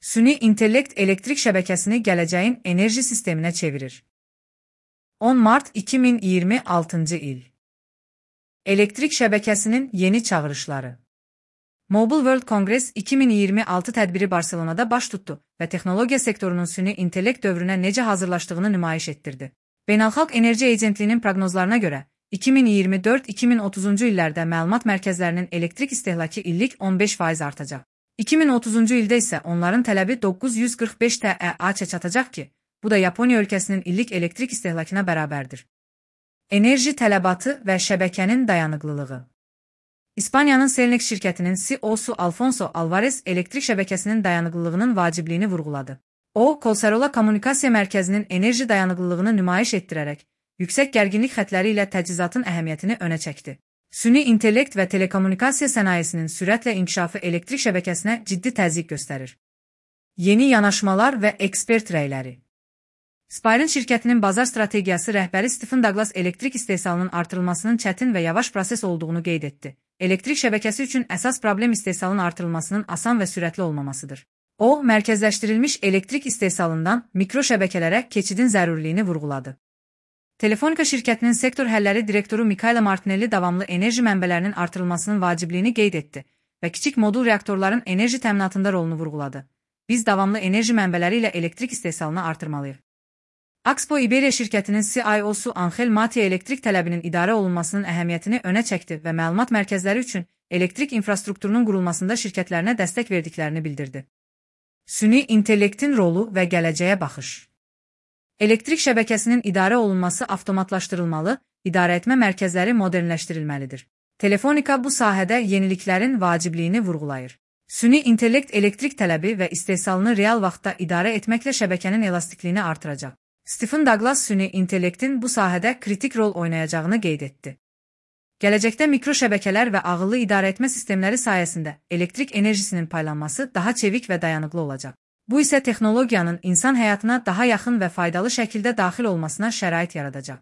Süni intellekt elektrik şəbəkəsini gələcəyin enerji sisteminə çevirir. 10 Mart 2026 il. Elektrik şəbəkəsinin yeni çağırışları. Mobile World Congress 2026 tədbiri Barselonada baş tutdu və texnologiya sektorunun süni intellekt dövrünə necə hazırlaşdığını nümayiş etdirdi. Beynəlxalq Enerji Agentliyinin proqnozlarına görə, 2024-2030-cu illərdə məlumat mərkəzlərinin elektrik istehlakı illik 15% artacaq. 2030-cu ildə isə onların tələbi 945 TEA-ça çatacaq ki, bu da Yaponiya ölkəsinin illik elektrik istehlakına bərabərdir. Enerji tələbatı və şəbəkənin dayanıqlılığı. İspaniyanın Cellnex şirkətinin CEO-su Alfonso Alvarez elektrik şəbəkəsinin dayanıqlılığının vacibliyini vurğuladı. O, Colserola Kommunikasiya Mərkəzinin enerji dayanıqlılığını nümayiş etdirərək, yüksək gərginlik xətləri ilə təchizatın əhəmiyyətini önə çəkdi. Süni intellekt və telekommunikasiya sənayesinin sürətlə inkişafı elektrik şəbəkəsinə ciddi təzyiq göstərir. Yeni yanaşmalar və ekspert rəyləri. Spirent şirkətinin bazar strategiyası rəhbəri Stephen Douglas elektrik istehsalının artırılmasının çətin və yavaş proses olduğunu qeyd etdi. Elektrik şəbəkəsi üçün əsas problem istehsalın artırılmasının asan və sürətli olmamasıdır. O, mərkəzləşdirilmiş elektrik istehsalından mikro şəbəkələrə keçidin zərurliyini vurğuladı. Telefonika şirkətinin sektor həlləri direktoru Michaela Martinelli davamlı enerji mənbələrinin artırılmasının vacibliyini qeyd etdi və kiçik modul reaktorların enerji təminatında rolunu vurğuladı. Biz davamlı enerji mənbələri ilə elektrik istehsalını artırmalıyıq. Axpo Iberia şirkətinin CIO-su Angel Matia elektrik tələbinin idarə olunmasının əhəmiyyətini önə çəkdi və məlumat mərkəzləri üçün elektrik infrastrukturunun qurulmasında şirkətlərinə dəstək verdiklərini bildirdi. Süni intellektin rolu və gələcəyə baxış. Elektrik şəbəkəsinin idarə olunması avtomatlaşdırılmalı, idarəetmə mərkəzləri modernləşdirilməlidir. Telefonika bu sahədə yeniliklərin vacibliyini vurğulayır. Süni intellekt elektrik tələbi və istehsalını real vaxtda idarə etməklə şəbəkənin elastikliyini artıracaq. Stephen Douglas süni intellektin bu sahədə kritik rol oynayacağını qeyd etdi. Gələcəkdə mikro şəbəkələr və ağıllı idarəetmə sistemləri sayəsində elektrik enerjisinin paylanması daha çevik və dayanıqlı olacaq. Bu isə texnologiyanın insan həyatına daha yaxın və faydalı şəkildə daxil olmasına şərait yaradacaq.